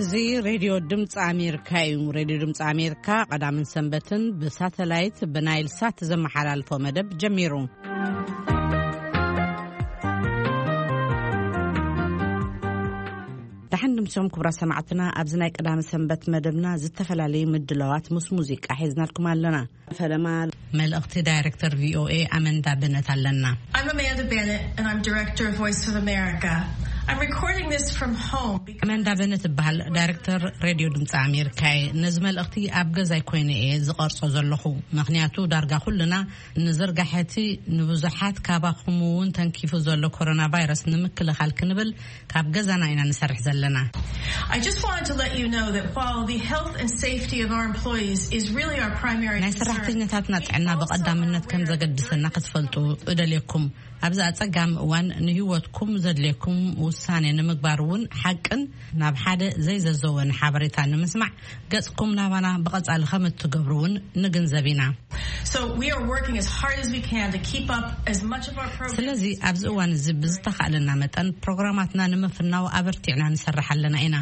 እዚ ሬድዮ ድምፂ ኣሜሪካ እዩ። ሬድዮ ድምፂ ኣሜሪካ ቀዳምን ሰንበትን ብሳተላይት ብናይል ሳት ዘመሓላልፎ መደብ ጀሚሩ። ደሓን ድምሶም ክቡራት ሰማዕትና፣ ኣብዚ ናይ ቀዳሚ ሰንበት መደብና ዝተፈላለዩ ምድላዋት ምስ ሙዚቃ ሒዝናልኩም ኣለና። ፈለማ መልእኽቲ ዳይሬክተር ቪኦኤ ኣመንዳ በነት ኣለና። I'm Amanda Bennett, and I'm director of Voice of America. I'm recording this from home because ኣመንዳ በነት እበሃል፣ ዳይሬክተር ሬድዮ ድምፂ ኣሜሪካ እየ። ነዚ መልእኽቲ ኣብ ገዛይ ኮይነ እየ ዝቐርጾ ዘለኹ፣ ምኽንያቱ ዳርጋ ኩልና ንዝርጋሐቲ ንብዙሓት ካባኹም እውን ተንኪፉ ዘሎ ኮሮና ቫይረስ ንምክልኻል ክንብል ካብ ገዛና ኢና ንሰርሕ ዘለና። I just wanted to let you know that while the health and safety of our employees is really our primary ናይ concern, ሰራሕተኛታትና ጥዕና ብቐዳምነት ከም ዘገድሰና ክትፈልጡ እደልየኩም። ኣብዚ ኣጸጋሚ እዋን ንህይወትኩም ዘድልየኩም ውሳኔ ንምግባር እውን ሓቅን ናብ ሓደ ዘይዘዘወን ሓበሬታ ንምስማዕ ገጽኩም ናባና ብቐጻሊ ከም እትገብሩ እውን ንግንዘብ ኢና። So we are working as hard as we can to keep up as much of our programs. ስለዚ ኣብዚ እዋን እዚ ብዝተኻእለና መጠን ፕሮግራማትና ንምፍናው ኣበርቲዕና ንሰርሕ ኣለና ኢና።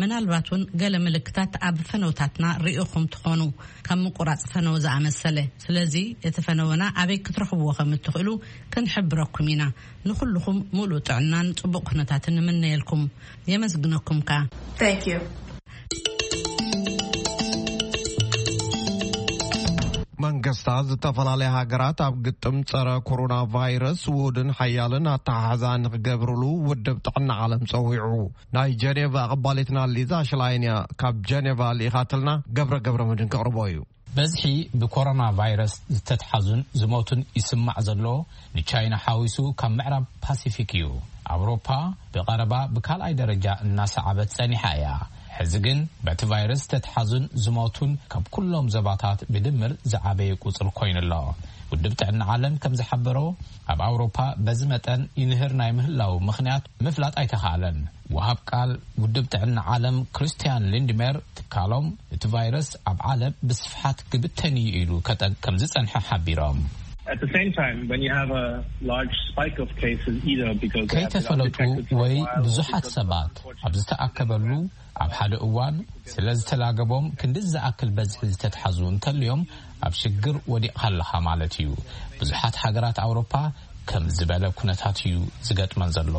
ምናልባት እውን ገለ ምልክታት ኣብ ፈነውታትና ርኢኹም ትኾኑ፣ ከም ምቁራጽ ፈነው ዝኣመሰለ። ስለዚ እቲ ፈነወና ኣበይ ክትረኽብዎ ከም እትኽእሉ ክንሕብረኩም ኢና። ንኹልኹም ሙሉእ ጥዕናን ጽቡቕ ኩነታትን ንምነየልኩም። የመስግነኩም ከኣ። Thank you. መንግስታት ዝተፈላለያ ሃገራት ኣብ ግጥም ጸረ ኮሮና ቫይረስ ውሁድን ሓያልን ኣተሓሕዛ ንክገብርሉ ውድብ ጥዕና ዓለም ጸዊዑ። ናይ ጀኔቫ ኣቐባሊትና ሊዛ ሽላይን እያ ካብ ጀኔቫ ልኢኻትልና። ገብረ ገብረ መድን ከቕርቦ እዩ። በዝሒ ብኮሮና ቫይረስ ዝተትሓዙን ዝሞቱን ይስማዕ ዘሎ ንቻይና ሓዊሱ ካብ ምዕራብ ፓሲፊክ እዩ። ኣውሮፓ ብቐረባ ብካልኣይ ደረጃ እናሰዓበት ጸኒሓ እያ። ሕዚ ግን በቲ ቫይረስ ዝተትሓዙን ዝሞቱን ካብ ኩሎም ዘባታት ብድምር ዝዓበየ ቁጽሪ ኮይኑ ኣሎ። ውድብ ጥዕና ዓለም ከም ዝሓበሮ ኣብ ኣውሮፓ በዚ መጠን ይንህር ናይ ምህላው ምኽንያት ምፍላጥ ኣይተኻእለን። ወሃብ ቃል ውድብ ጥዕና ዓለም ክርስቲያን ሊንድሜር ትካሎም እቲ ቫይረስ ኣብ ዓለም ብስፍሓት ክብተን እዩ ኢሉ ከጠ ከም ዝጸንሐ ሓቢሮም። At the same time, when you have a large spike of cases, either because they have been ከይተፈለጡ detected for a ወይ while or ብዙሓት because ሰባት ኣብ ዝተኣከበሉ ኣብ ሓደ እዋን ስለ ዝተላገቦም ክንዲ ዝኣክል በዝሒ ዝተትሓዙ እንተልዮም ኣብ ሽግር ወዲቕካ ኣለኻ ማለት እዩ። ብዙሓት ሃገራት ኣውሮፓ ከም ዝበለ ኩነታት እዩ ዝገጥመን ዘሎ።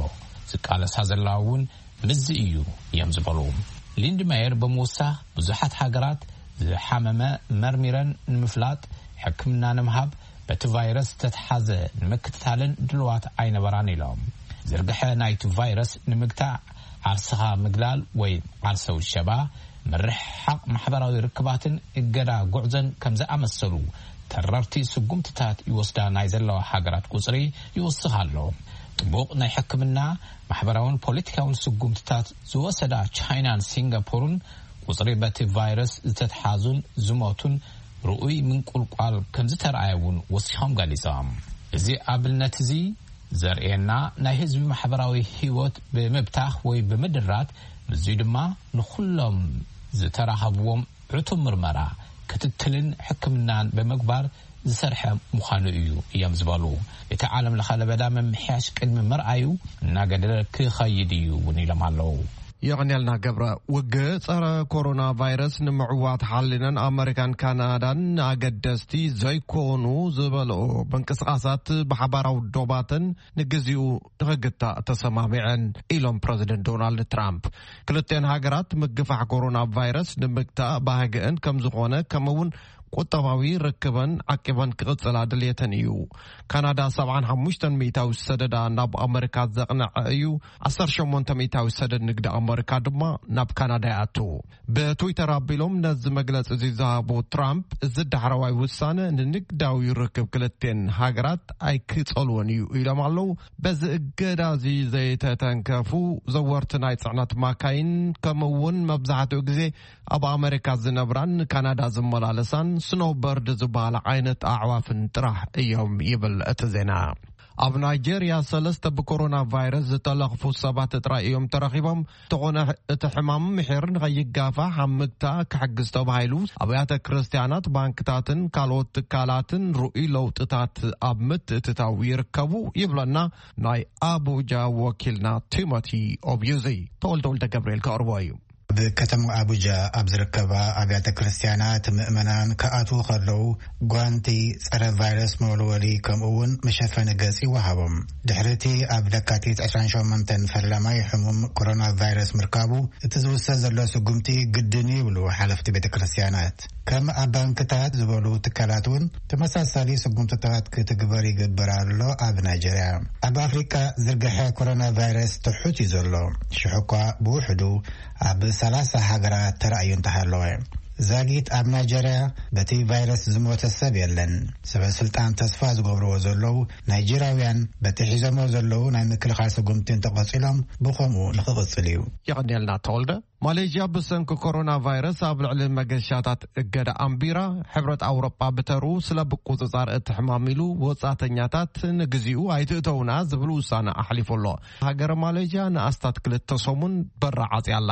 ዝቃለሳ ዘለዋ እውን ምዚ እዩ እዮም ዝበሉ። ሊንድማየር ብምውሳኽ ብዙሓት ሃገራት ዝሓመመ መርሚረን ንምፍላጥ ሕክምና ንምሃብ በቲ ቫይረስ ዝተትሓዘ ንምክትታልን ድልዋት ኣይነበራን ኢሎም። ዝርግሐ ናይቲ ቫይረስ ንምግታእ ዓርስኻ ምግላል ወይ ዓርሰ ውሸባ፣ ምርሕሓቕ ማሕበራዊ ርክባትን እገዳ ጉዕዞን ከም ዝኣመሰሉ ተረርቲ ስጉምትታት ይወስዳ ናይ ዘለዋ ሃገራት ቁጽሪ ይወስኽ ኣሎ። ጥቡቕ ናይ ሕክምና፣ ማሕበራውን ፖለቲካውን ስጉምትታት ዝወሰዳ ቻይናን ሲንጋፖርን ቁጽሪ በቲ ቫይረስ ዝተትሓዙን ዝሞቱን ርኡይ ምንቁልቋል ከም ዝተረኣየ እውን ወሲኾም ገሊጾም። እዚ ኣብነት እዚ ዘርእየና ናይ ህዝቢ ማሕበራዊ ህይወት ብምብታኽ ወይ ብምድራት፣ ምስዚ ድማ ንኹሎም ዝተራኸብዎም ዕቱብ ምርመራ፣ ክትትልን ሕክምናን ብምግባር ዝሰርሐ ምዃኑ እዩ እዮም ዝበሉ። እቲ ዓለም ለኸ ለበዳ ምምሕያሽ ቅድሚ ምርኣዩ እናገደደ ክኸይድ እዩ እውን ኢሎም ኣለዉ። የቐንያልና ገብረ። ውግእ ጸረ ኮሮና ቫይረስ ንምዕዋት ሓሊነን ኣመሪካን ካናዳን ኣገደስቲ ዘይኮኑ ዝበልኦ ምንቅስቓሳት ብሓባራዊ ዶባተን ንግዚኡ ንኽግታእ ተሰማሚዐን ኢሎም ፕረዚደንት ዶናልድ ትራምፕ። ክልቲኤን ሃገራት ምግፋሕ ኮሮና ቫይረስ ንምግታእ ባህግአን ከም ዝኾነ፣ ከምኡውን ቁጠባዊ ርክበን ዓቂበን ክቕጽላ ድልየተን እዩ። ካናዳ ሰብዓን ሓሙሽተን ሚእታዊ ሰደዳ ናብ ኣመሪካ ዘቕነዐ እዩ። ዓሰርተ ሸሞንተ ሚእታዊ ሰደድ ንግዲ ኣመሪካ ድማ ናብ ካናዳ ይኣቱ። ብትዊተር ኣቢሎም ነዚ መግለጺ እዚ ዝሃቡ ትራምፕ፣ እዚ ዳሕረዋይ ውሳነ ንንግዳዊ ርክብ ክልቴን ሃገራት ኣይክጸልዎን እዩ ኢሎም ኣለዉ። በዚ እገዳ እዚ ዘይተተንከፉ ዘወርቲ ናይ ጽዕነት ማካይን፣ ከምኡ እውን መብዛሕትኡ ግዜ ኣብ ኣመሪካ ዝነብራን ካናዳ ዝመላለሳን ስኖውበርድ ዝበሃላ ዓይነት ኣዕዋፍን ጥራሕ እዮም ይብል እቲ ዜና። ኣብ ናይጄርያ ሰለስተ ብኮሮና ቫይረስ ዝተለኽፉ ሰባት ጥራይ እዮም ተረኺቦም። እንተኾነ እቲ ሕማም ምሒር ንኸይጋፋሕ ኣብ ምግታእ ክሕግዝ ተባሂሉ ኣብያተ ክርስቲያናት፣ ባንክታትን ካልኦት ትካላትን ርኡይ ለውጥታት ኣብ ምትእትታው ይርከቡ ይብለና ናይ ኣቡጃ ወኪልና ቲሞቲ ኦብዩዚ። ተወልደ ወልደ ገብርኤል ከቕርቦ እዩ። ኣብ ከተማ ኣቡጃ ኣብ ዝርከባ ኣብያተ ክርስትያናት ምእመናን ክኣትዉ ከለዉ ጓንቲ፣ ጸረ ቫይረስ መወልወሊ፣ ከምኡ እውን መሸፈኒ ገጽ ይወሃቦም። ድሕሪ እቲ ኣብ ለካቲት ዕስራን ሸሞንተን ፈላማይ ሕሙም ኮሮና ቫይረስ ምርካቡ፣ እቲ ዝውሰድ ዘሎ ስጉምቲ ግድን እዩ ይብሉ ሓለፍቲ ቤተ ክርስትያናት። ከም ኣብ ባንክታት ዝበሉ ትካላት እውን ተመሳሳሊ ስጉምትታት ክትግበር ይግበር ኣሎ። ኣብ ናይጀርያ፣ ኣብ ኣፍሪቃ ዝርግሐ ኮሮና ቫይረስ ትሑት እዩ ዘሎ። ሽሕ እኳ ብውሕዱ ኣብ ሰላሳ ሃገራት ተራእዩ እንተሃለወ፣ ዛጊት ኣብ ናይጀርያ በቲ ቫይረስ ዝሞተ ሰብ የለን። ሰበ ስልጣን ተስፋ ዝገብርዎ ዘለዉ ናይጀርያውያን በቲ ሒዞሞ ዘለዉ ናይ ምክልኻል ስጉምቲ እንተቐጺሎም፣ ብኸምኡ ንኽቕጽል እዩ። የቐንየልና ተወልደ። ማሌዥያ ብሰንኪ ኮሮና ቫይረስ ኣብ ልዕሊ መገሻታት እገዳ ኣንቢራ፣ ሕብረት ኣውሮጳ ብተሩ ስለ ብቁጽጻር እቲ ሕማም ኢሉ ወጻተኛታት ንግዚኡ ኣይትእተውና ዝብል ውሳነ ኣሕሊፉ ኣሎ። ሃገረ ማሌዥያ ንኣስታት ክልተ ሰሙን በራ ዓጽያ ኣላ።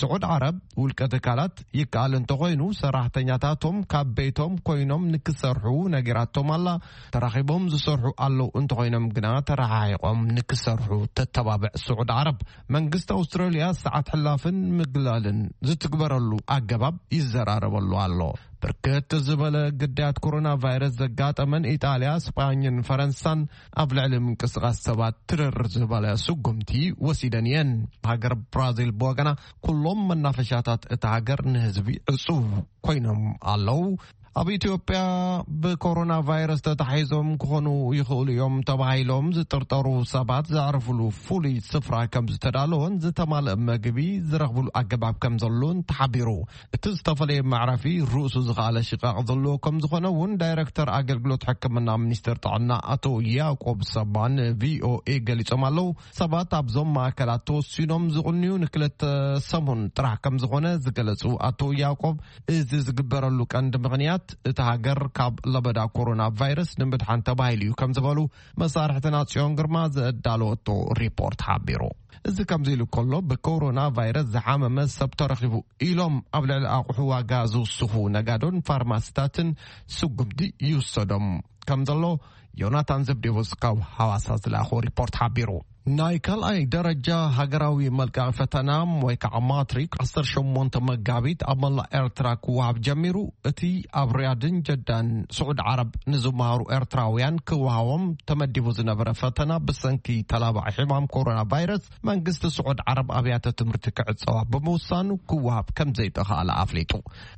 ስዑድ ዓረብ ውልቀ ትካላት ይከኣል እንተኾይኑ ሰራሕተኛታቶም ካብ ቤቶም ኮይኖም ንክሰርሑ ነጊራቶም ኣላ። ተራኺቦም ዝሰርሑ ኣለዉ እንተኾይኖም ግና ተረሓሒቖም ንክሰርሑ ተተባብዕ ስዑድ ዓረብ። መንግስቲ ኣውስትራልያ ሰዓት ሕላፍን ምግላልን ዝትግበረሉ ኣገባብ ይዘራረበሉ ኣሎ። ብርክት ዝበለ ግዳያት ኮሮና ቫይረስ ዘጋጠመን ኢጣልያ፣ ስጳኝን ፈረንሳን ኣብ ልዕሊ ምንቅስቓስ ሰባት ትርር ዝበለ ስጉምቲ ወሲደን እየን። ሃገር ብራዚል ብወገና ኩሎም መናፈሻታት እታ ሃገር ንህዝቢ ዕጹብ ኮይኖም ኣለዉ። ኣብ ኢትዮጵያ ብኮሮና ቫይረስ ተታሒዞም ክኾኑ ይኽእሉ እዮም ተባሂሎም ዝጥርጠሩ ሰባት ዘዕርፍሉ ፍሉይ ስፍራ ከም ዝተዳለወን ዝተማልአ መግቢ ዝረኽብሉ ኣገባብ ከም ዘሎን ተሓቢሩ። እቲ ዝተፈለየ መዕረፊ ርእሱ ዝኸኣለ ሽቓቕ ዘለዎ ከም ዝኾነ እውን ዳይሬክተር ኣገልግሎት ሕክምና ሚኒስቴር ጥዕና ኣቶ ያዕቆብ ሰባ ንቪኦኤ ገሊጾም ኣለዉ። ሰባት ኣብዞም ማእከላት ተወሲኖም ዝቕንዩ ንክልተ ሰሙን ጥራሕ ከም ዝኾነ ዝገለጹ ኣቶ ያዕቆብ፣ እዚ ዝግበረሉ ቀንዲ ምኽንያት እቲ ሃገር ካብ ለበዳ ኮሮና ቫይረስ ንምድሓን ተባሂሉ እዩ ከም ዝበሉ መሳርሕትና ጽዮን ግርማ ዘዳለወቶ ሪፖርት ሓቢሩ። እዚ ከምዚ ኢሉ ከሎ፣ ብኮሮና ቫይረስ ዝሓመመ ሰብ ተረኺቡ ኢሎም ኣብ ልዕሊ ኣቑሑ ዋጋ ዝውስኹ ነጋዶን ፋርማሲታትን ስጉምቲ ይውሰዶም ከም ዘሎ ዮናታን ዘብዴዎስ ካብ ሃዋሳ ዝለኣኾ ሪፖርት ሓቢሩ። ናይ ካልኣይ ደረጃ ሃገራዊ መልቀቒ ፈተና ወይ ከዓ ማትሪክ ዓሰርተ ሸሞንተ መጋቢት ኣብ መላእ ኤርትራ ክወሃብ ጀሚሩ። እቲ ኣብ ሪያድን ጀዳን ስዑድ ዓረብ ንዝመሃሩ ኤርትራውያን ክወሃቦም ተመዲቡ ዝነበረ ፈተና ብሰንኪ ተላባዒ ሕማም ኮሮና ቫይረስ መንግስቲ ስዑድ ዓረብ ኣብያተ ትምህርቲ ክዕጸዋ ብምውሳኑ ክወሃብ ከም ዘይተኻእለ ኣፍሊጡ።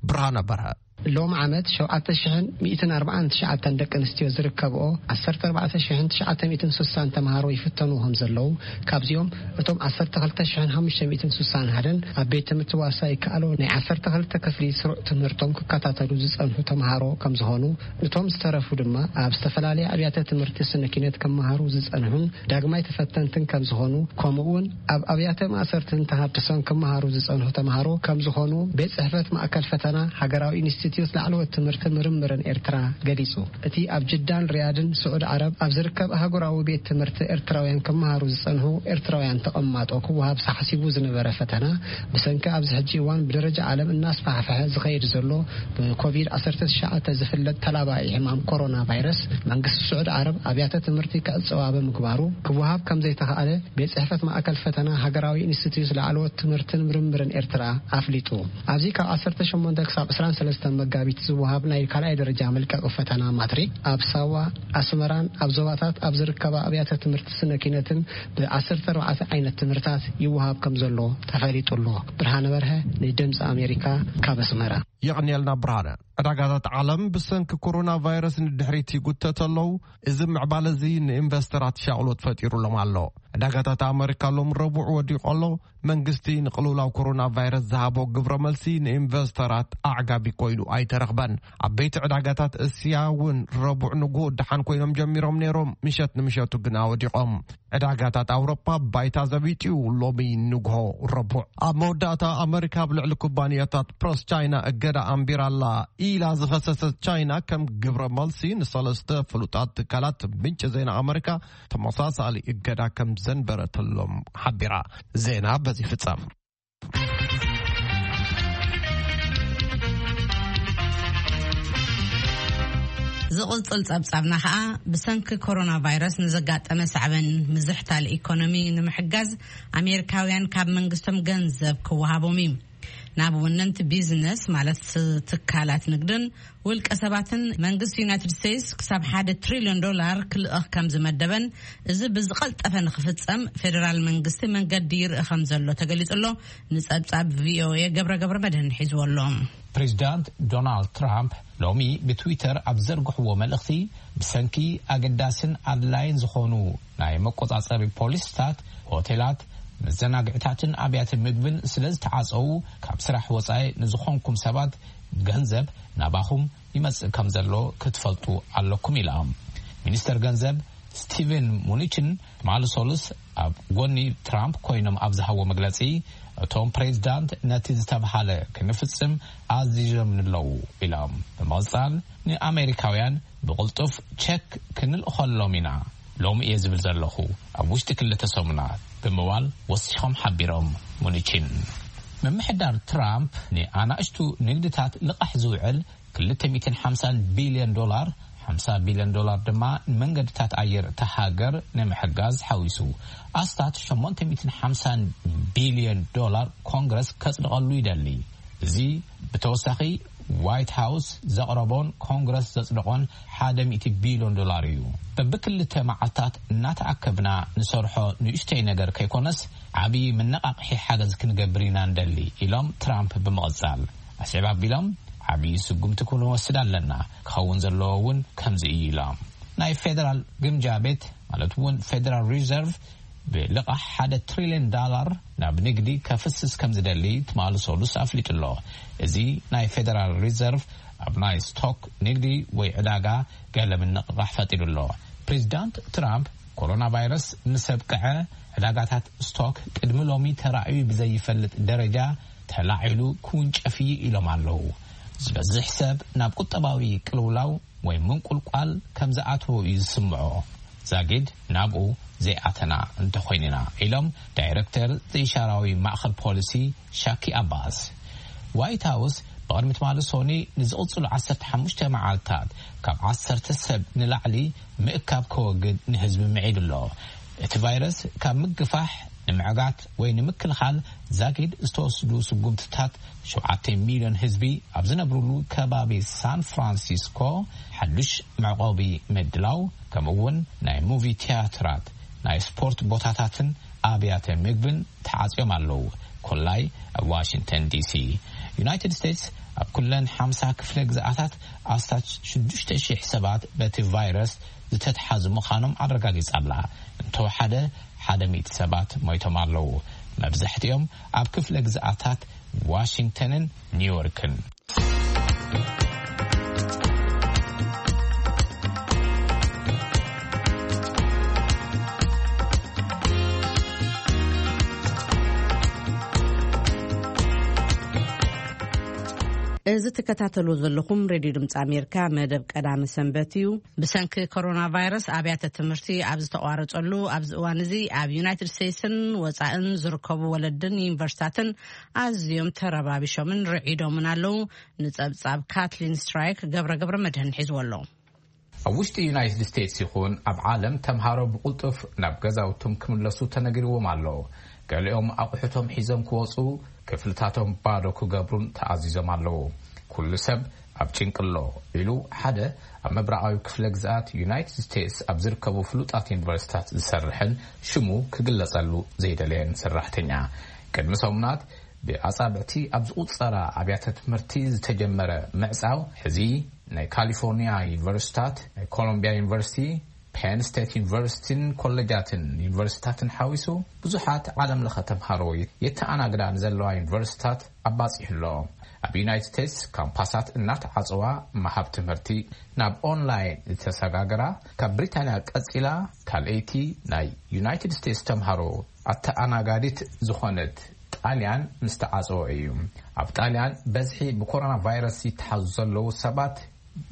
ብርሃነ በርሀ። ሎም ዓመት ሸውዓተ ሽሕን ሚእትን ኣርባዓን ትሽዓተን ደቂ ኣንስትዮ ዝርከብኦ ዓሰርተ ኣርባዕተ ሽሕን ትሽዓተ ሚእትን ስሳን ተምሃሮ ይፍተኑ ከም ዘለዉ፣ ካብዚኦም እቶም ዓሰርተ ክልተ ሽሕን ሓሙሽተ ሚእትን ስሳን ሓደን ኣብ ቤት ትምህርቲ ዋሳ ይከኣሎ ናይ ዓሰርተ ክልተ ክፍሊ ስሩዕ ትምህርቶም ክከታተሉ ዝጸንሑ ተምሃሮ ከም ዝኾኑ፣ እቶም ዝተረፉ ድማ ኣብ ዝተፈላለየ ኣብያተ ትምህርቲ ስነ ኪነት ክመሃሩ ዝጸንሑን ዳግማይ ተፈተንትን ከም ዝኾኑ፣ ከምኡ እውን ኣብ ኣብያተ ማእሰርትን ተሃድሶን ክመሃሩ ዝጸንሑ ተምሃሮ ከም ዝኾኑ ቤት ጽሕፈት ማእከል ፈተና ሃገራዊ ኢንስቲትዩት ላዕለዎት ትምህርትን ምርምርን ኤርትራ ገሊጹ። እቲ ኣብ ጅዳን ሪያድን ስዑድ ዓረብ ኣብ ዝርከብ ኣህጉራዊ ቤት ትምህርቲ ኤርትራውያን ክመሃሩ ዝጸንሑ ኤርትራውያን ተቐማጦ ክወሃብ ተሓሲቡ ዝነበረ ፈተና፣ ብሰንኪ ኣብዚ ሕጂ እዋን ብደረጃ ዓለም እናስፋሕፈሐ ዝኸይድ ዘሎ ብኮቪድ ዓሰርተ ትሽዓተ ዝፍለጥ ተላባዒ ሕማም ኮሮና ቫይረስ፣ መንግስቲ ስዑድ ዓረብ ኣብያተ ትምህርቲ ክዕጸዋ ብምግባሩ፣ ክወሃብ ከም ዘይተኻእለ ቤት ጽሕፈት ማእከል ፈተና ሃገራዊ ኢንስቲትዩት ላዕለዎት ትምህርትን ምርምርን ኤርትራ ኣፍሊጡ። ኣብዚ ካብ ዓሰርተ ሸሞንተ ክሳብ ዕስራን ሰለስተን መጋቢት ዝወሃብ ናይ ካልኣይ ደረጃ መልቀቂ ፈተና ማትሪክ፣ ኣብ ሳዋ፣ ኣስመራን ኣብ ዞባታት ኣብ ዝርከባ ኣብያተ ትምህርቲ ስነ ኪነትን ብ ዓሰርተ ኣርባዕተ ዓይነት ትምህርታት ይወሃብ ከም ዘሎ ተፈሊጡ ኣሎ። ብርሃነ በርሀ፣ ንድምፂ ኣሜሪካ፣ ካብ ኣስመራ። የቐንየልና ብርሃነ። ዕዳጋታት ዓለም ብሰንኪ ኮሮና ቫይረስ ንድሕሪት ይጉተት ኣለዉ። እዚ ምዕባለ እዚ ንኢንቨስተራት ሻቕሎት ፈጢሩሎም ኣሎ። ዕዳጋታት ኣመሪካ ሎም ረቡዕ ወዲቑ ኣሎ። መንግስቲ ንቅልውላው ኮሮና ቫይረስ ዝሃቦ ግብረ መልሲ ንኢንቨስተራት ኣዕጋቢ ኮይኑ ኣይተረኽበን። ዓበይቲ ዕዳጋታት እስያ እውን ረቡዕ ንግሆ ደሓን ኮይኖም ጀሚሮም ነይሮም፣ ምሸት ንምሸቱ ግና ወዲቖም። ዕዳጋታት ኣውሮፓ ባይታ ዘቢጥዩ ሎሚ ንግሆ ረቡዕ። ኣብ መወዳእታ ኣመሪካ ኣብ ልዕሊ ኩባንያታት ፕረስ ቻይና እገዳ ኣንቢራላ ኢላ ዝኸሰሰት ቻይና፣ ከም ግብረ መልሲ ንሰለስተ ፍሉጣት ትካላት ምንጪ ዜና ኣመሪካ ተመሳሳሊ እገዳ ከም ዘንበረተሎም ሓቢራ። ዜና በዚ ፍጸም። ዝቕጽል ጸብጻብና ኸኣ፣ ብሰንኪ ኮሮና ቫይረስ ንዘጋጠመ ሳዕበን ምዝሕታል ኢኮኖሚ ንምሕጋዝ፣ ኣሜሪካውያን ካብ መንግስቶም ገንዘብ ክወሃቦም እዩ። ናብ ወነንቲ ቢዝነስ፣ ማለት ትካላት ንግድን ውልቀ ሰባትን፣ መንግስቲ ዩናይትድ ስቴትስ ክሳብ ሓደ ትሪልዮን ዶላር ክልእኽ ከም ዝመደበን፣ እዚ ብዝቐልጠፈ ንክፍጸም ፌደራል መንግስቲ መንገዲ ይርኢ ከም ዘሎ ተገሊጹ ኣሎ። ንጸብጻብ ቪኦኤ ገብረ ገብረ መድህን ሒዝዎ ኣሎ። ፕሬዚዳንት ዶናልድ ትራምፕ ሎሚ ብትዊተር ኣብ ዘርግሕዎ መልእኽቲ፣ ብሰንኪ ኣገዳስን ኣድላይን ዝኾኑ ናይ መቆጻጸሪ ፖሊስታት፣ ሆቴላት፣ መዘናግዕታትን ኣብያተ ምግብን ስለ ዝተዓጸዉ፣ ካብ ስራሕ ወጻኢ ንዝኾንኩም ሰባት ገንዘብ ናባኹም ይመጽእ ከም ዘሎ ክትፈልጡ ኣለኩም ኢላ። ሚኒስተር ገንዘብ ስቲቨን ሙኒችን ትማሊ ሰሉስ ኣብ ጎኒ ትራምፕ ኮይኖም ኣብ ዝሃቦ መግለጺ፣ እቶም ፕሬዚዳንት ነቲ ዝተብሃለ ክንፍጽም ኣዚዞም ኣለዉ ኢሎም። ብምቕጻል፣ ንኣሜሪካውያን ብቕልጡፍ ቸክ ክንልእኸሎም ኢና ሎሚ እየ ዝብል ዘለኹ፣ ኣብ ውሽጢ ክልተ ሰሙናት ብምባል ወሲኾም ሓቢሮም። ሙኒችን፣ ምምሕዳር ትራምፕ ንኣናእሽቱ ንግድታት ልቓሕ ዝውዕል ክልተ ሚእትን ሓምሳን ቢልዮን ዶላር፣ ሓምሳ ቢልዮን ዶላር ድማ ንመንገድታት ኣየር እታ ሃገር ንምሕጋዝ ሓዊሱ፣ ኣስታት ሸሞንተ ሚእትን ሓምሳን ቢልዮን ዶላር ኮንግረስ ከጽድቐሉ ይደሊ። እዚ ብተወሳኺ ዋይት ሃውስ ዘቕረቦን ኮንግረስ ዘጽደቖን ሓደ ሚእቲ ቢልዮን ዶላር እዩ። በብክልተ መዓልታት እናተኣከብና ንሰርሖ ንእሽተይ ነገር ከይኮነስ፣ ዓቢ መነቓቕሒ ሓገዝ ክንገብር ኢና ንደሊ ኢሎም ትራምፕ ብምቕጻል። ኣስዕብ ኣቢሎም፣ ዓቢ ስጉምቲ ክንወስድ ኣለና፣ ክኸውን ዘለዎ እውን ከምዚ እዩ ኢሎም። ናይ ፌደራል ግምጃ ቤት፣ ማለት እውን ፌደራል ሪዘርቭ፣ ብልቓሕ ሓደ ትሪልዮን ዳላር ናብ ንግዲ ከፍስስ ከም ዝደሊ ትማሊ ሰሉስ ኣፍሊጡ ኣሎ። እዚ ናይ ፌደራል ሪዘርቭ ኣብ ናይ ስቶክ ንግዲ ወይ ዕዳጋ ገለ ምንቕቓሕ ፈጢሩ ኣሎ። ፕሬዚዳንት ትራምፕ፣ ኮሮና ቫይረስ ምስ ኣብቅዐ፣ ዕዳጋታት ስቶክ ቅድሚ ሎሚ ተራእዩ ብዘይፈልጥ ደረጃ ተላዒሉ ክውንጨፍ እዩ ኢሎም ኣለዉ። ዝበዝሕ ሰብ ናብ ቁጠባዊ ቅልውላው ወይ ምንቁልቋል ከም ዝኣተወ እዩ ዝስምዖ፣ ዛጊድ ናብኡ ዘይኣተና እንተኾይንና፣ ኢሎም ዳይረክተር ዘይሻራዊ ማእኸል ፖሊሲ ሻኪ ኣባስ። ዋይት ሃውስ ብቕድሚ ትማሊ ሶኒ ንዝቕጽሉ ዓሰርተ ሓሙሽተ መዓልታት ካብ ዓሰርተ ሰብ ንላዕሊ ምእካብ ከወግድ ንህዝቢ ምዒዱ ኣሎ። እቲ ቫይረስ ካብ ምግፋሕ ንምዕጋት ወይ ንምክልኻል ዛጊድ ዝተወስዱ ስጉምትታት፣ ሸውዓተ ሚልዮን ህዝቢ ኣብ ዝነብሩሉ ከባቢ ሳን ፍራንሲስኮ ሓዱሽ መዕቆቢ ምድላው፣ ከምኡ እውን ናይ ሙቪ ቲያትራት፣ ናይ ስፖርት ቦታታትን ኣብያተ ምግብን ተዓጽዮም ኣለዉ። ኮላይ ኣብ ዋሽንግተን ዲሲ። ዩናይትድ ስቴትስ ኣብ ኩለን ሓምሳ ክፍለ ግዝኣታት ኣስታት ሽዱሽተ ሺሕ ሰባት በቲ ቫይረስ ዝተትሓዙ ምዃኖም ኣረጋጊጻ ኣላ። እንተወሓደ ሓደ ሚእቲ ሰባት ሞይቶም ኣለዉ። መብዛሕትኦም ኣብ ክፍለ ግዝኣታት ዋሽንግተንን ኒውዮርክን። እዚ ትከታተሉ ዘለኹም ሬድዮ ድምፂ ኣሜሪካ መደብ ቀዳሚ ሰንበት እዩ። ብሰንኪ ኮሮና ቫይረስ ኣብያተ ትምህርቲ ኣብ ዝተቋረጸሉ ኣብዚ እዋን እዚ፣ ኣብ ዩናይትድ ስቴትስን ወጻእን ዝርከቡ ወለድን ዩኒቨርሲታትን ኣዝዮም ተረባቢሾምን ርዒዶምን ኣለዉ። ንጸብጻብ ካትሊን ስትራይክ ገብረ ገብረ መድህን ሒዝዎ ኣሎ። ኣብ ውሽጢ ዩናይትድ ስቴትስ ይኹን ኣብ ዓለም፣ ተምሃሮ ብቕልጡፍ ናብ ገዛውቶም ክምለሱ ተነጊርዎም ኣሎ። ገሊኦም ኣቑሑቶም ሒዞም ክወጹ፣ ክፍልታቶም ባዶ ክገብሩን ተኣዚዞም ኣለዉ። ኩሉ ሰብ ኣብ ጭንቂ ኣሎ፣ ኢሉ ሓደ ኣብ ምብራቓዊ ክፍለ ግዝኣት ዩናይትድ ስቴትስ ኣብ ዝርከቡ ፍሉጣት ዩኒቨርሲታት ዝሰርሕን ሽሙ ክግለጸሉ ዘይደለየን ሰራሕተኛ። ቅድሚ ሰሙናት ብኣጻብዕቲ ኣብ ዝቑጸራ ኣብያተ ትምህርቲ ዝተጀመረ ምዕጻው፣ ሕዚ ናይ ካሊፎርኒያ ዩኒቨርሲታት፣ ናይ ኮሎምቢያ ዩኒቨርሲቲ፣ ፔን ስቴት ዩኒቨርሲቲን ኮሌጃትን ዩኒቨርሲታትን ሓዊሱ ብዙሓት ዓለም ለኸ ተምሃሮ የተኣናግዳ ንዘለዋ ዩኒቨርሲታት ኣባጺሑ ኣሎ። ኣብ ዩናይትድ ስቴትስ ካምፓሳት እናተዓጸዋ ምሃብ ትምህርቲ ናብ ኦንላይን ዝተሰጋገራ ካብ ብሪታንያ ቀጺላ ካልኣይቲ ናይ ዩናይትድ ስቴትስ ተምሃሮ ኣተኣናጋዲት ዝኾነት ጣልያን ምስ ተዓጸወ እዩ። ኣብ ጣልያን በዝሒ ብኮሮና ቫይረስ ይተሓዙ ዘለዉ ሰባት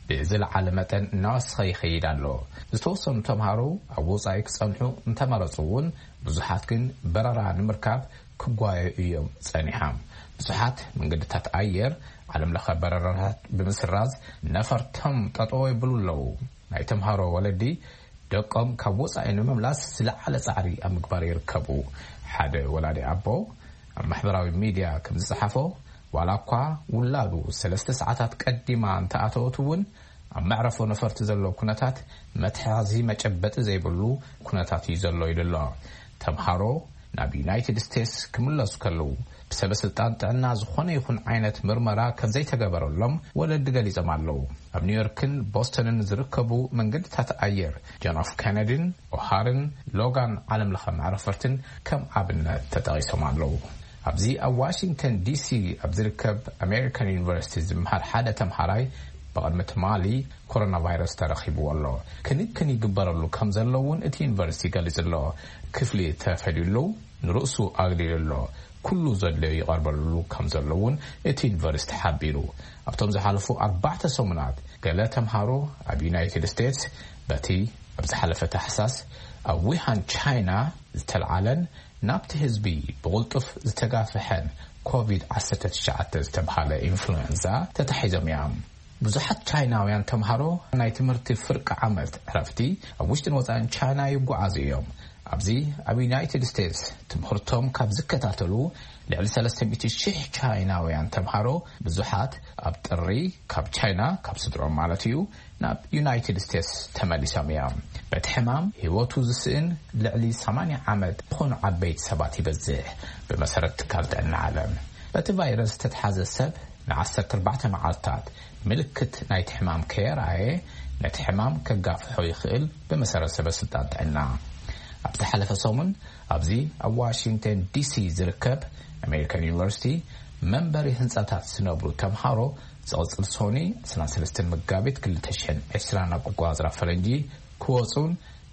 ብዝለዓለ መጠን እናወሰኸ ይኸይድ ኣሎ። ዝተወሰኑ ተምሃሮ ኣብ ወጻኢ ክጸንሑ እንተመረጹ እውን፣ ብዙሓት ግን በረራ ንምርካብ ክጓየዩ እዮም ጸኒሖም። ብዙሓት መንገድታት ኣየር ዓለም ለኸ በረራታት ብምስራዝ ነፈርቶም ጠጠው የብሉ ኣለዉ። ናይ ተምሃሮ ወለዲ ደቆም ካብ ወጻኢ ንምምላስ ዝለዓለ ጻዕሪ ኣብ ምግባር ይርከቡ። ሓደ ወላዲ ኣቦ ኣብ ማሕበራዊ ሚድያ ከም ዝጸሓፎ፣ ዋላ እኳ ውላዱ ሰለስተ ሰዓታት ቀዲማ እንተኣተወት እውን፣ ኣብ መዕረፎ ነፈርቲ ዘሎ ኩነታት መትሓዚ መጨበጢ ዘይብሉ ኩነታት እዩ ዘሎ ኢሉ ኣሎ። ተምሃሮ ናብ ዩናይትድ ስቴትስ ክምለሱ ከለዉ፣ ብሰበ ስልጣን ጥዕና ዝኾነ ይኹን ዓይነት ምርመራ ከም ዘይተገበረሎም ወለዲ ገሊጾም ኣለዉ። ኣብ ኒውዮርክን ቦስተንን ዝርከቡ መንገድታት ኣየር ጆን ኤፍ ኬነዲን ኦሃርን ሎጋን ዓለም ለኸ መዕረፈርትን ከም ኣብነት ተጠቒሶም ኣለዉ። ኣብዚ ኣብ ዋሽንግተን ዲሲ ኣብ ዝርከብ ኣሜሪካን ዩኒቨርሲቲ ዝምሃር ሓደ ተምሃራይ፣ ብቕድሚ ትማሊ ኮሮና ቫይረስ ተረኺብዎ ኣሎ። ክንክን ይግበረሉ ከም ዘሎ እውን እቲ ዩኒቨርሲቲ ገሊጹ ኣሎ። ክፍሊ ተፈልዩሉ፣ ንርእሱ ኣግሊሉ ኣሎ። ኩሉ ዘድለዮ ይቐርበሉ ከም ዘሎ እውን እቲ ዩኒቨርሲቲ ሓቢሩ። ኣብቶም ዝሓለፉ ኣርባዕተ ሰሙናት፣ ገለ ተምሃሮ ኣብ ዩናይትድ ስቴትስ በቲ ኣብ ዝሓለፈ ታሕሳስ ኣብ ዊሃን ቻይና ዝተልዓለን ናብቲ ህዝቢ ብቕልጡፍ ዝተጋፍሐን ኮቪድ ዓሰርተ ትሽዓተ ዝተብሃለ ኢንፍሉዌንዛ ተታሒዞም እዮም። ብዙሓት ቻይናውያን ተምሃሮ ናይ ትምህርቲ ፍርቂ ዓመት ዕረፍቲ ኣብ ውሽጥን ወጻእን ቻይና ይጓዓዙ እዮም። ኣብዚ ኣብ ዩናይትድ ስቴትስ ትምህርቶም ካብ ዝከታተሉ ልዕሊ ሰለስተ ሚእቲ ሺሕ ቻይናውያን ተምሃሮ፣ ብዙሓት ኣብ ጥሪ ካብ ቻይና፣ ካብ ስድሮም ማለት እዩ፣ ናብ ዩናይትድ ስቴትስ ተመሊሶም እዮም። በቲ ሕማም ህይወቱ ዝስእን ልዕሊ ሰማንያ ዓመት ዝኾኑ ዓበይቲ ሰባት ይበዝሕ፣ ብመሰረት ትካል ጥዕና ዓለም። በቲ ቫይረስ ዝተትሓዘ ሰብ ንዓሰርተ ኣርባዕተ መዓልታት ምልክት ናይቲ ሕማም ከየርኣየ፣ ነቲ ሕማም ከጋፍሖ ይኽእል፣ ብመሰረት ሰበ ስልጣን ጥዕና። ኣብ ዝሓለፈ ሰሙን፣ ኣብዚ ኣብ ዋሽንግተን ዲሲ ዝርከብ ኣሜሪካን ዩኒቨርሲቲ መንበሪ ህንጻታት ዝነብሩ ተምሃሮ፣ ዝቕጽል ሶኒ ዕስራን ሰለስተን መጋቢት ክልተ ሽሕን ዕስራን ኣቆጻጽራ ፈረንጂ ክወጹን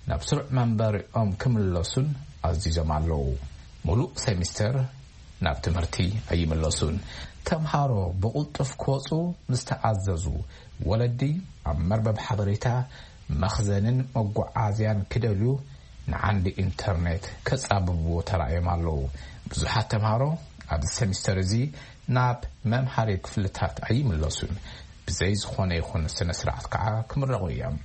ናብ ስሩዕ መንበሪኦም ክምለሱን ኣዚዞም ኣለዉ። ሙሉእ ሴሚስተር ናብ ትምህርቲ ኣይምለሱን። ተምሃሮ ብቕልጡፍ ክወጹ ምስ ተኣዘዙ፣ ወለዲ ኣብ መርበብ ሓበሬታ፣ መኽዘንን መጓዓዝያን ክደልዩ፣ ንዓንዲ ኢንተርኔት ከጻብብዎ ተራእዮም ኣለዉ። ብዙሓት ተምሃሮ ኣብዚ ሴሚስተር እዚ ናብ መምሃሪ ክፍልታት ኣይምለሱን። ብዘይ ዝኾነ ይኹን ስነ ስርዓት ከዓ ክምረቑ እዮም።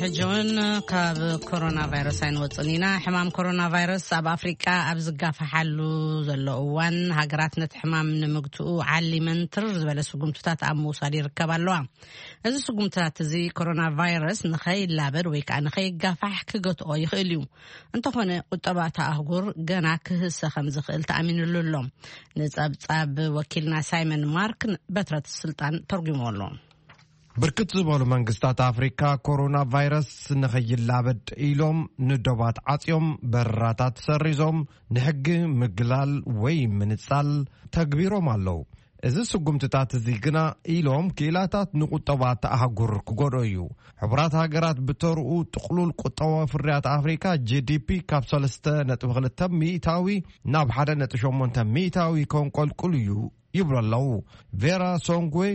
ሕጂ እውን ካብ ኮሮና ቫይረስ ኣይንወፅን ኢና። ሕማም ኮሮና ቫይረስ ኣብ ኣፍሪቃ ኣብ ዝጋፋሓሉ ዘሎ እዋን፣ ሃገራት ነቲ ሕማም ንምግትኡ ዓሊመን ትርር ዝበለ ስጉምትታት ኣብ ምውሳድ ይርከባ ኣለዋ። እዚ ስጉምትታት እዚ ኮሮና ቫይረስ ንኸይላበድ ወይ ከዓ ንኸይጋፋሕ ክገትኦ ይኽእል እዩ። እንተኾነ ቁጠባ እታ ኣህጉር ገና ክህሰ ከም ዝኽእል ተኣሚንሉ ኣሎ። ንጸብጻብ ወኪልና ሳይመን ማርክ በትረት ስልጣን ተርጉሞ ኣሎ። ብርክት ዝበሉ መንግስታት ኣፍሪካ ኮሮና ቫይረስ ንኸይላበድ ኢሎም ንዶባት ዓፅዮም፣ በረራታት ሰሪዞም፣ ንሕጊ ምግላል ወይ ምንፃል ተግቢሮም ኣለዉ። እዚ ስጉምትታት እዚ ግና ኢሎም ክኢላታት ንቁጠባ ተኣህጉር ክጎድኦ እዩ። ሕቡራት ሃገራት ብተርኡ ጥቕሉል ቁጠባዊ ፍርያት ኣፍሪካ ጂ ዲ ፒ ካብ ሰለስተ ነጥቢ ክልተ ሚእታዊ ናብ ሓደ ነጥቢ ሸሞንተ ሚእታዊ ከንቆልቁል እዩ ይብሉ ኣለዉ። ቬራ ሶንግዌ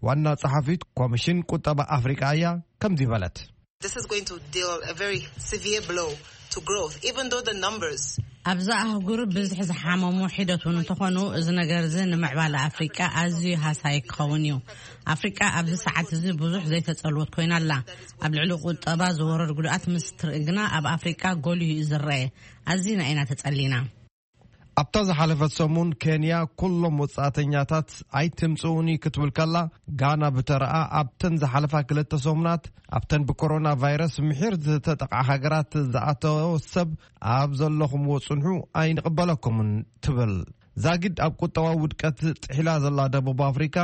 ዋና ጸሓፊት ኮሚሽን ቁጠባ ኣፍሪቃ እያ ከምዚ በለት። This is going to deal a very severe blow to growth, even though the numbers ኣብዚ ኣህጉር ብዝሒ ዝሓመሙ ሒደት እውን እንተኾኑ፣ እዚ ነገር እዚ ንምዕባለ ኣፍሪቃ ኣዝዩ ሃሳይ ክኸውን እዩ። ኣፍሪቃ ኣብዚ ሰዓት እዚ ብዙሕ ዘይተጸልወት ኮይና ኣላ። ኣብ ልዕሊ ቁጠባ ዝወረድ ጉድኣት ምስ ትርኢ ግና ኣብ ኣፍሪቃ ጎሊሁ እዩ ዝረአ። ኣዚና ኢና ተጸሊና። ኣብታ ዝሓለፈት ሰሙን ኬንያ ኩሎም ወጻእተኛታት ኣይትምጽኡኒ ክትብል ከላ፣ ጋና ብተረኣ ኣብተን ዝሓለፋ ክልተ ሰሙናት ኣብተን ብኮሮና ቫይረስ ምሒር ዝተጠቕዓ ሃገራት ዝኣተወ ሰብ ኣብ ዘለኹምዎ ጽንሑ ኣይንቕበለኩምን ትብል። ዛጊድ ኣብ ቁጠባዊ ውድቀት ጥሒላ ዘላ ደቡብ ኣፍሪካ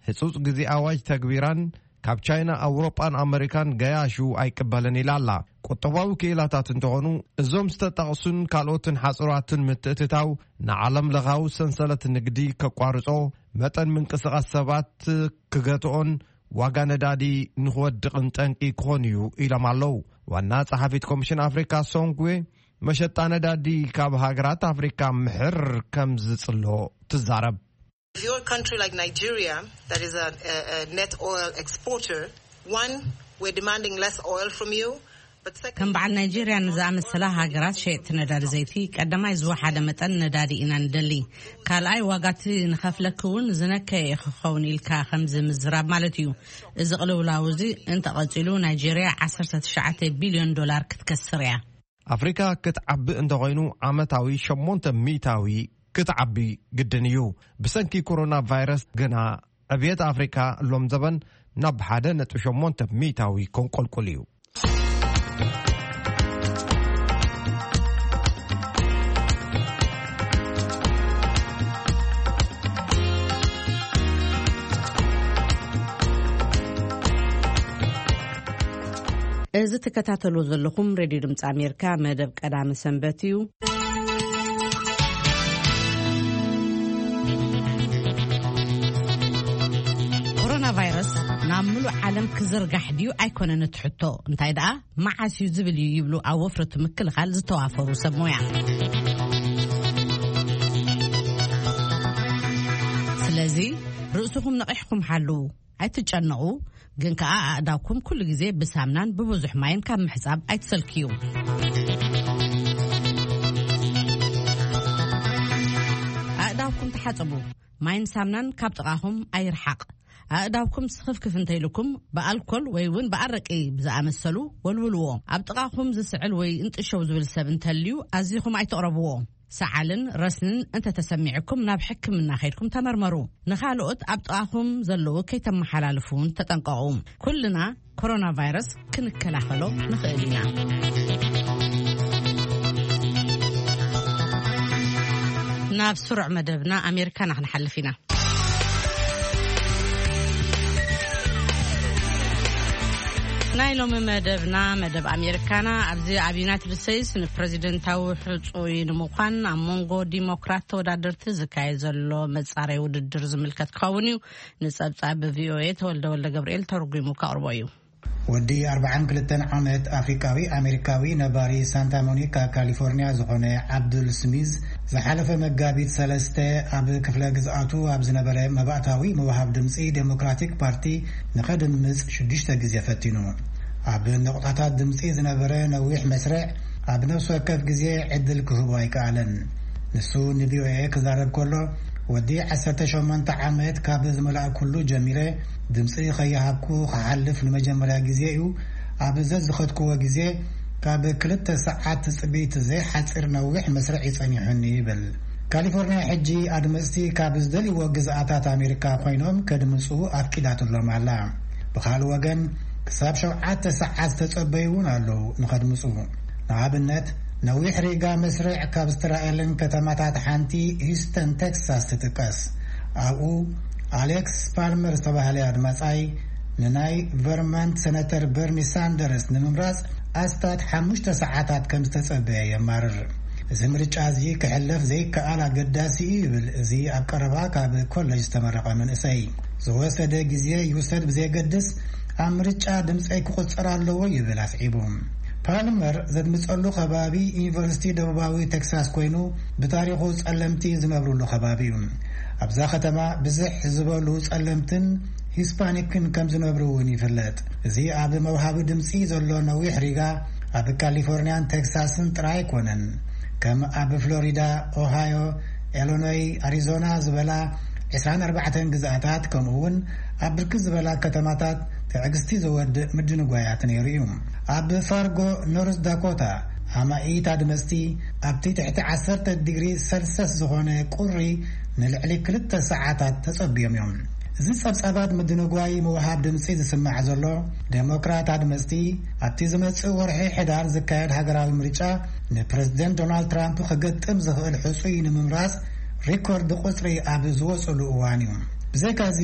ህጹጽ ግዜ ኣዋጅ ተግቢራን ካብ ቻይና፣ ኣውሮጳን ኣመሪካን ገያሹ ኣይቅበልን ኢላ ኣላ። ቁጠባዊ ክኢላታት እንተኾኑ እዞም ዝተጠቕሱን ካልኦትን ሓጽራትን ምትእትታው ንዓለም ለኻዊ ሰንሰለት ንግዲ ከቋርጾ፣ መጠን ምንቅስቓስ ሰባት ክገትኦን ዋጋ ነዳዲ ንኽወድቕን ጠንቂ ክኾን እዩ ኢሎም ኣለዉ። ዋና ጸሓፊት ኮሚሽን ኣፍሪካ ሶንግዌ መሸጣ ነዳዲ ካብ ሃገራት ኣፍሪካ ምሕር ከም ዝጽሎ ትዛረብ። If you're a country like Nigeria that is a, a, a net oil exporter, one, we're demanding less oil from you. But second, ከም በዓል ናይጄርያ ንዝኣመሰላ ሃገራት ሸየጥቲ ነዳዲ ዘይቲ ቀዳማይ ዝወሓደ መጠን ነዳዲ ኢና ንደሊ። ካልኣይ ዋጋቲ ንኸፍለኪ እውን ዝነከየ ክኸውን ኢልካ ከምዚ ምዝራብ ማለት እዩ። እዚ ቅልውላው እዚ እንተቐጺሉ ናይጄርያ ዓሰርተ ትሽዓተ ቢልዮን ዶላር ክትከስር እያ። ኣፍሪካ ክትዓቢ እንተኾይኑ ዓመታዊ ሸሞንተ ሚእታዊ ክትዓቢ ግድን እዩ። ብሰንኪ ኮሮና ቫይረስ ግና ዕብየት ኣፍሪካ ሎም ዘበን ናብ ሓደ ነጥቢ ሸሞንተ ሚእታዊ ከንቆልቁል እዩ። እዚ ትከታተልዎ ዘለኹም ሬድዮ ድምፂ ኣሜሪካ መደብ ቀዳሚ ሰንበት እዩ። ኮሮና ቫይረስ ናብ ምሉእ ዓለም ክዝርጋሕ ድዩ ኣይኮነን እቲ ሕቶ፣ እንታይ ደኣ መዓስ እዩ ዝብል እዩ ይብሉ ኣብ ወፍሪ እቲ ምክልኻል ዝተዋፈሩ ሰብ ሞያ። ስለዚ ርእስኹም ነቒሕኩም ሓልዉ። ኣይትጨነቑ፣ ግን ከኣ ኣእዳውኩም ኩሉ ግዜ ብሳምናን ብብዙሕ ማይን ካብ ምሕጻብ ኣይትሰልክዩ። ኣእዳውኩም ተሓጸቡ። ማይን ሳምናን ካብ ጥቓኹም ኣይርሓቕ። ኣእዳውኩም ስኽፍክፍ እንተኢልኩም ብኣልኮል ወይ እውን ብኣረቂ ብዝኣመሰሉ ወልውልዎ። ኣብ ጥቓኹም ዝስዕል ወይ እንጥሸው ዝብል ሰብ እንተልዩ ኣዚኹም ኣይትቕረብዎ። ሰዓልን ረስንን እንተተሰሚዕኩም ናብ ሕክምና ከይድኩም ተመርመሩ። ንኻልኦት ኣብ ጥቓኹም ዘለዉ ከይተመሓላልፉ እውን ተጠንቀቑ። ኩልና ኮሮና ቫይረስ ክንከላኸሎ ንኽእል ኢና። ናብ ስሩዕ መደብና ኣሜሪካና ክንሓልፍ ኢና። ናይ ሎሚ መደብና መደብ ኣሜሪካና ኣብዚ ኣብ ዩናይትድ ስቴትስ ንፕረዚደንታዊ ሕጹይ ንምዃን ኣብ መንጎ ዲሞክራት ተወዳደርቲ ዝካየድ ዘሎ መጻረይ ውድድር ዝምልከት ክኸውን እዩ። ንጸብጻብ ብቪኦኤ ተወልደ ወልደ ገብርኤል ተርጒሙ ከቕርቦ እዩ። ወዲ ኣርባዓን ክልተን ዓመት ኣፍሪቃዊ ኣሜሪካዊ ነባሪ ሳንታ ሞኒካ ካሊፎርኒያ ዝኾነ ዓብዱል ስሚዝ ዝሓለፈ መጋቢት ሰለስተ ኣብ ክፍለ ግዝኣቱ ኣብ ዝነበረ መባእታዊ ምውሃብ ድምፂ ዴሞክራቲክ ፓርቲ ንኸድምፅ ሽዱሽተ ግዜ ፈቲኑ። ኣብ ነቑጣታት ድምፂ ዝነበረ ነዊሕ መስርዕ ኣብ ነፍሲ ወከፍ ግዜ ዕድል ክህቦ ኣይከኣለን። ንሱ ንቪኦኤ ክዛረብ ከሎ ወዲ ዓሰርተ ሸሞንተ ዓመት ካብ ዝመላእኩሉ ጀሚረ ድምፂ ከይሃብኩ ክሓልፍ ንመጀመርያ ግዜ እዩ። ኣብ ዘዝኸድክዎ ግዜ ካብ ክልተ ሰዓት ትፅቢት ዘይሓፅር ነዊሕ መስርዕ ይፀኒሑኒ ይብል። ካሊፎርኒያ ሕጂ ኣድመፅቲ ካብ ዝደልይዎ ግዝኣታት ኣሜሪካ ኮይኖም ከድምፁ ኣፍቂዳትሎም ኣላ። ብኻልእ ወገን ክሳብ ሸውዓተ ሰዓት ዝተፀበዩ እውን ኣለዉ ንኸድምፁ። ንኣብነት ነዊሕ ሪጋ መስርዕ ካብ ዝተራእየለን ከተማታት ሓንቲ ሂስተን ቴክሳስ ትጥቀስ። ኣብኡ ኣሌክስ ፓልመር ዝተባህለ ኣድማፃይ ንናይ ቨርማንት ሰነተር በርኒ ሳንደርስ ንምምራፅ ኣስታት ሓሙሽተ ሰዓታት ከም ዝተፀበየ የማርር። እዚ ምርጫ እዚ ክሕለፍ ዘይከኣል ኣገዳሲ እዩ ይብል እዚ ኣብ ቀረባ ካብ ኮለጅ ዝተመረቐ መንእሰይ። ዝወሰደ ግዜ ይውሰድ ብዘየገድስ ኣብ ምርጫ ድምፀይ ክቑፀር ኣለዎ ይብል ኣስዒቡ። ፓልመር ዘድምፀሉ ከባቢ ዩኒቨርሲቲ ደቡባዊ ቴክሳስ ኮይኑ ብታሪኹ ፀለምቲ ዝነብሩሉ ከባቢ እዩ። ኣብዛ ከተማ ብዝሕ ዝበሉ ጸለምትን ሂስፓኒክን ከም ዝነብሩ እውን ይፍለጥ። እዚ ኣብ መውሃቢ ድምጺ ዘሎ ነዊሕ ሪጋ ኣብ ካሊፎርኒያን ቴክሳስን ጥራይ ኣይኮነን። ከም ኣብ ፍሎሪዳ፣ ኦሃዮ፣ ኢሎኖይ፣ ኣሪዞና ዝበላ ዕስራን ኣርባዕተን ግዝኣታት ከምኡ እውን ኣብ ብርክት ዝበላ ከተማታት ትዕግስቲ ዘወድእ ምድንጓያት ነይሩ እዩ። ኣብ ፋርጎ ኖርዝ ዳኮታ ኣማኢት ኣድመፅቲ ኣብቲ ትሕቲ ዓሰርተ ዲግሪ ሰልሰስ ዝኾነ ቁሪ ንልዕሊ ክልተ ሰዓታት ተጸብዮም እዮም። እዚ ጸብጻባት ምድንጓይ ምውሃብ ድምጺ ዝስማዕ ዘሎ ዴሞክራት ኣድመፅቲ ኣብቲ ዝመጽእ ወርሒ ሕዳር ዝካየድ ሃገራዊ ምርጫ ንፕረዚደንት ዶናልድ ትራምፕ ክገጥም ዝኽእል ሕጹይ ንምምራጽ ሪኮርድ ቁጽሪ ኣብ ዝወጽሉ እዋን እዩ። ብዘይካዚ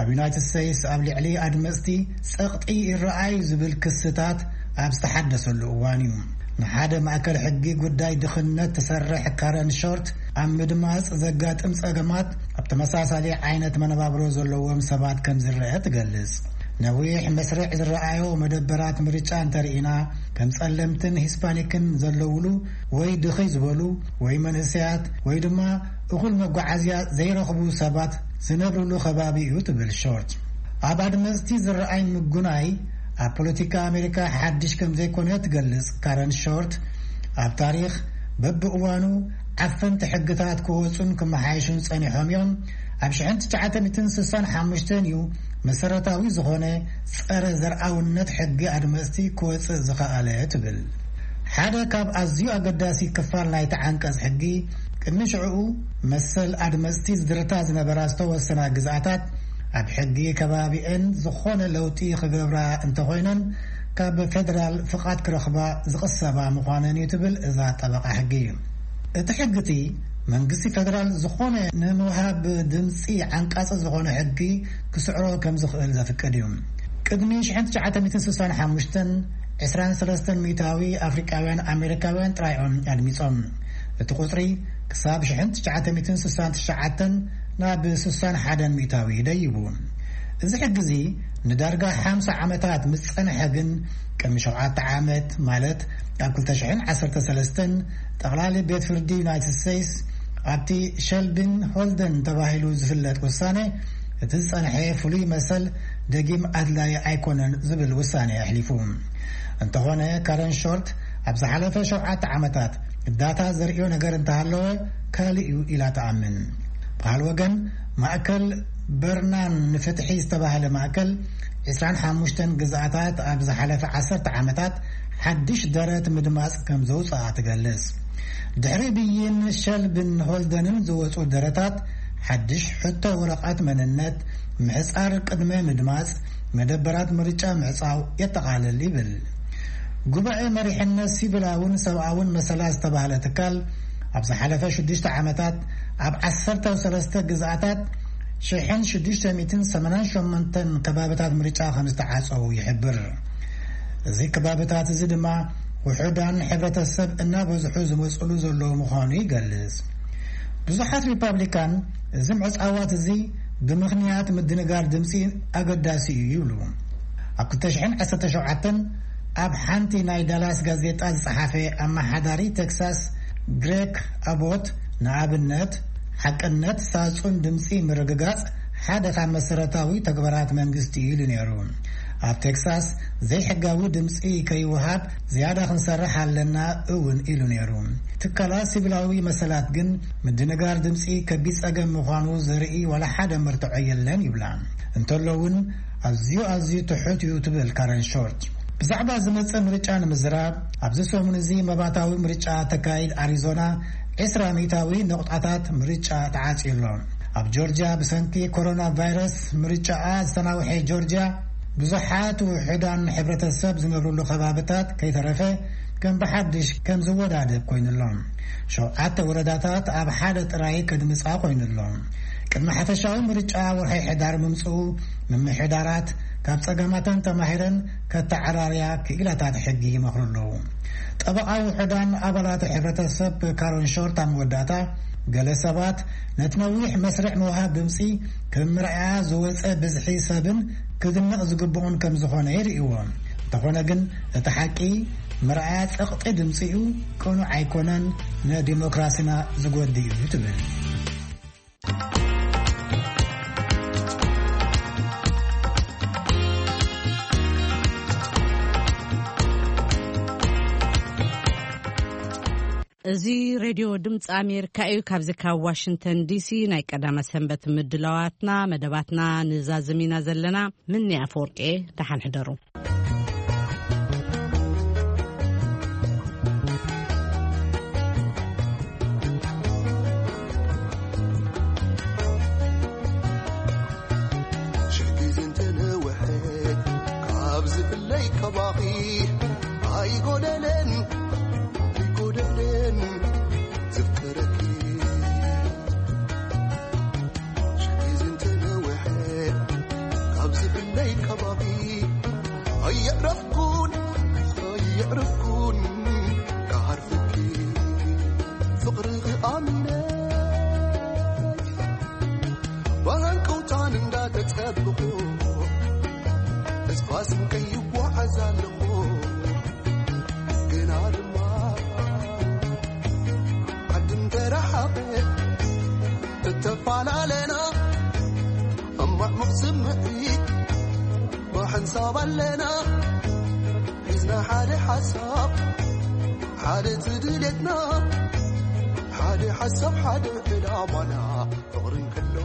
ኣብ ዩናይትድ ስቴትስ ኣብ ልዕሊ ኣድመፅቲ ጸቕጢ ይረኣዩ ዝብል ክስታት ኣብ ዝተሓደሰሉ እዋን እዩ። ንሓደ ማእከል ሕጊ ጉዳይ ድኽነት ትሰርሕ ካረን ሾርት ኣብ ምድማፅ ዘጋጥም ጸገማት ኣብ ተመሳሳሊ ዓይነት መነባብሮ ዘለዎም ሰባት ከም ዝረአ ትገልጽ። ነዊሕ መስርዕ ዝረኣዮ መደበራት ምርጫ እንተርኢና ከም ጸለምትን ሂስፓኒክን ዘለውሉ ወይ ድኽይ ዝበሉ ወይ መንእሰያት ወይ ድማ እኹል መጓዓዝያ ዘይረኽቡ ሰባት ዝነብርሉ ከባቢ እዩ ትብል ሾርት። ኣብ ኣድመፅቲ ዝረኣይ ምጉናይ ኣብ ፖለቲካ ኣሜሪካ ሓድሽ ከም ዘይኮነ ትገልጽ ካረን ሾርት፣ ኣብ ታሪኽ በብእዋኑ ዓፈንቲ ሕግታት ክወፁን ክመሓየሹን ጸኒሖም እዮም። ኣብ ሽሕን ትሽዓተ ሚእትን ስሳን ሓሙሽተን እዩ መሰረታዊ ዝኾነ ጸረ ዘርኣውነት ሕጊ ኣድመፅቲ ክወፅእ ዝኸኣለ ትብል። ሓደ ካብ ኣዝዩ ኣገዳሲ ክፋል ናይቲ ዓንቀጽ ሕጊ፣ ቅድሚ ሽዕኡ መሰል ኣድመጽቲ ዝድርታ ዝነበራ ዝተወሰና ግዝኣታት ኣብ ሕጊ ከባቢኤን ዝኾነ ለውጢ ክገብራ እንተኾይነን ካብ ፌደራል ፍቓድ ክረኽባ ዝቕሰባ ምዃነን እዩ ትብል እዛ ጠበቓ ሕጊ። እቲ ሕጊ እቲ መንግስቲ ፌደራል ዝኾነ ንምውሃብ ድምፂ ዓንቃፂ ዝኾነ ሕጊ ክስዕሮ ከም ዝኽእል ዘፍቅድ እዩ። ቅድሚ ሽሕን ትሽዓተ ሚእትን ስሳን ሓሙሽተን፣ ዕስራን ሰለስተን ሚእታዊ ኣፍሪቃውያን ኣሜሪካውያን ጥራይ እዮም ኣድሚጾም። እቲ ቁጽሪ ክሳብ ሽሕን ትሽዓተ ሚእትን ስሳን ትሽዓተን ናብ ስሳን ሓደን ሚእታዊ ደይቡ። እዚ ሕጊ እዚ ንዳርጋ ሓምሳ ዓመታት ምስ ጸንሐ ግን፣ ቅድሚ ሸውዓተ ዓመት፣ ማለት ኣብ ክልተ ሽሕን ዓሰርተ ሰለስተን፣ ጠቕላሊ ቤት ፍርዲ ዩናይትድ ስቴትስ ኣብቲ ሸልቢን ሆልደን ተባሂሉ ዝፍለጥ ውሳኔ፣ እቲ ዝጸንሐ ፍሉይ መሰል ደጊም ኣድላዪ ኣይኮነን ዝብል ውሳኔ ኣሕሊፉ። እንተኾነ፣ ካረን ሾርት ኣብ ዝሓለፈ ሸውዓተ ዓመታት ዳታ ዘርእዮ ነገር እንተሃለወ ካልእ እዩ ኢላ ትኣምን። ብኻል ወገን፣ ማእከል በርናን ንፍትሒ ዝተባህለ ማእከል፣ ዕስራን ሓሙሽተን ግዝኣታት ኣብ ዝሓለፈ ዓሰርተ ዓመታት ሓድሽ ደረት ምድማጽ ከም ዘውጽኣ ትገልጽ። ድሕሪ ብይን ሸልብን ሆልደንን ዝወጹ ደረታት፣ ሓድሽ ሕቶ ወረቐት መንነት፣ ምሕጻር ቅድመ ምድማጽ፣ መደበራት ምርጫ ምዕጻው የጠቓልል ይብል። ጉባኤ መሪሕነት ሲቪላውን ሰብኣውን መሰላት ዝተባህለ ትካል፣ ኣብ ዝሓለፈ ሽዱሽተ ዓመታት ኣብ ዓሰርተ ሰለስተ ግዝኣታት ሽሕን ሽዱሽተ ሚእትን ሰማንያን ሸሞንተን ከባብታት ምርጫ ከም ዝተዓጸዉ ይሕብር። እዚ ከባብታት እዚ ድማ ውሑዳን ሕብረተሰብ እናበዝሑ ዝመጽሉ ዘለዉ ምዃኑ ይገልጽ። ብዙሓት ሪፓብሊካን እዚ ምዕጻዋት እዚ ብምኽንያት ምድንጋር ድምጺ ኣገዳሲ እዩ ይብሉ። ኣብ ክልተ ሽሕን ዓሰርተ ሸውዓተን ኣብ ሓንቲ ናይ ዳላስ ጋዜጣ ዝጸሓፈ ኣመሓዳሪ ቴክሳስ ግሬክ ኣቦት፣ ንኣብነት፣ ሓቅነት ሳጹን ድምጺ ምርግጋጽ ሓደ ካብ መሰረታዊ ተግባራት መንግስቲ እዩ ኢሉ ነይሩ። ኣብ ቴክሳስ ዘይሕጋዊ ድምጺ ከይወሃብ ዝያዳ ክንሰርሕ ኣለና እውን ኢሉ ነይሩ። ትካላት ሲቪላዊ መሰላት ግን ምድንጋር ድምጺ ከቢድ ጸገም ምዃኑ ዘርኢ ዋላ ሓደ መርትዖ የለን ይብላ። እንተሎ እውን ኣዝዩ ኣዝዩ ትሑት እዩ ትብል ካረን ሾርት። ብዛዕባ ዝመጽእ ምርጫ ንምዝራብ፣ ኣብዚ ሰሙን እዚ መባታዊ ምርጫ ተካይድ ኣሪዞና ዕስራ ሚእታዊ ነቑጣታት ምርጫ ተዓጽዩ ኣሎ። ኣብ ጆርጅያ ብሰንኪ ኮሮና ቫይረስ ምርጫኣ ዝተናውሐ ጆርጅያ፣ ብዙሓት ውሑዳን ሕብረተሰብ ዝነብርሉ ከባብታት ከይተረፈ ከም ብሓድሽ ከም ዝወዳደብ ኮይኑ ኣሎ። ሸውዓተ ወረዳታት ኣብ ሓደ ጥራይ ከድምጻ ኮይኑ ኣሎ። ቅድሚ ሓፈሻዊ ምርጫ ወርሒ ሕዳር ምምጽኡ፣ ምምሕዳራት ካብ ጸገማተን ተማሂረን ከተዓራርያ ክኢላታት ሕጊ ይመኽሩ ኣለዉ። ጠበቓ ውሑዳን ኣባላት ሕብረተሰብ ካሮን ሾርት ኣብ መወዳእታ፣ ገለ ሰባት ነቲ ነዊሕ መስርዕ ምውሃብ ድምጺ ከም መርኣያ ዝወጸ ብዝሒ ሰብን ክድነቕ ዝግብኡን ከም ዝኾነ ይርእይዎ። እንተኾነ ግን፣ እቲ ሓቂ መርኣያ ጸቕጢ ድምጺ እዩ፣ ቅኑዕ ኣይኮነን፣ ንዲሞክራሲና ዝጎድእ እዩ ትብል። እዚ ሬድዮ ድምፂ ኣሜሪካ እዩ። ካብዚ ካብ ዋሽንግተን ዲሲ ናይ ቀዳመ ሰንበት ምድላዋትና፣ መደባትና ንዛዝም ኢና ዘለና። ምኒ ኣፈወርቂ፣ ደሓን ሕደሩ። ሽሕ ግዜ እንተነውሐ ካብ ዝፍለይ ካባኺ ኣይጎደለን፣ ኣይጎደለን ዘፍቅረኪ። ሽሕ ግዜ እንተነውሐ ካብ ዝፍለይ ካባኺ ኣየዕረፍኩን፣ ኣየዕረፍኩን ክሃርፍኪ ፍቕርኺ ኣሚነ ብሃንቀውታን እንዳተጸበኹ ተስፋ ስንቀይ ይጓዓዝ ኣለኹ። ግና ድማ ዓዲ እንተረሓቐ ተተፈላለና፣ እማዕሙቕ ስምዒት ብሓንሳብ ኣለና። ሒዝና ሓደ ሓሳብ፣ ሓደ እቲ ድሌትና፣ ሓደ ሓሳብ፣ ሓደ ዕላማና፣ ፍቕርን ክሎ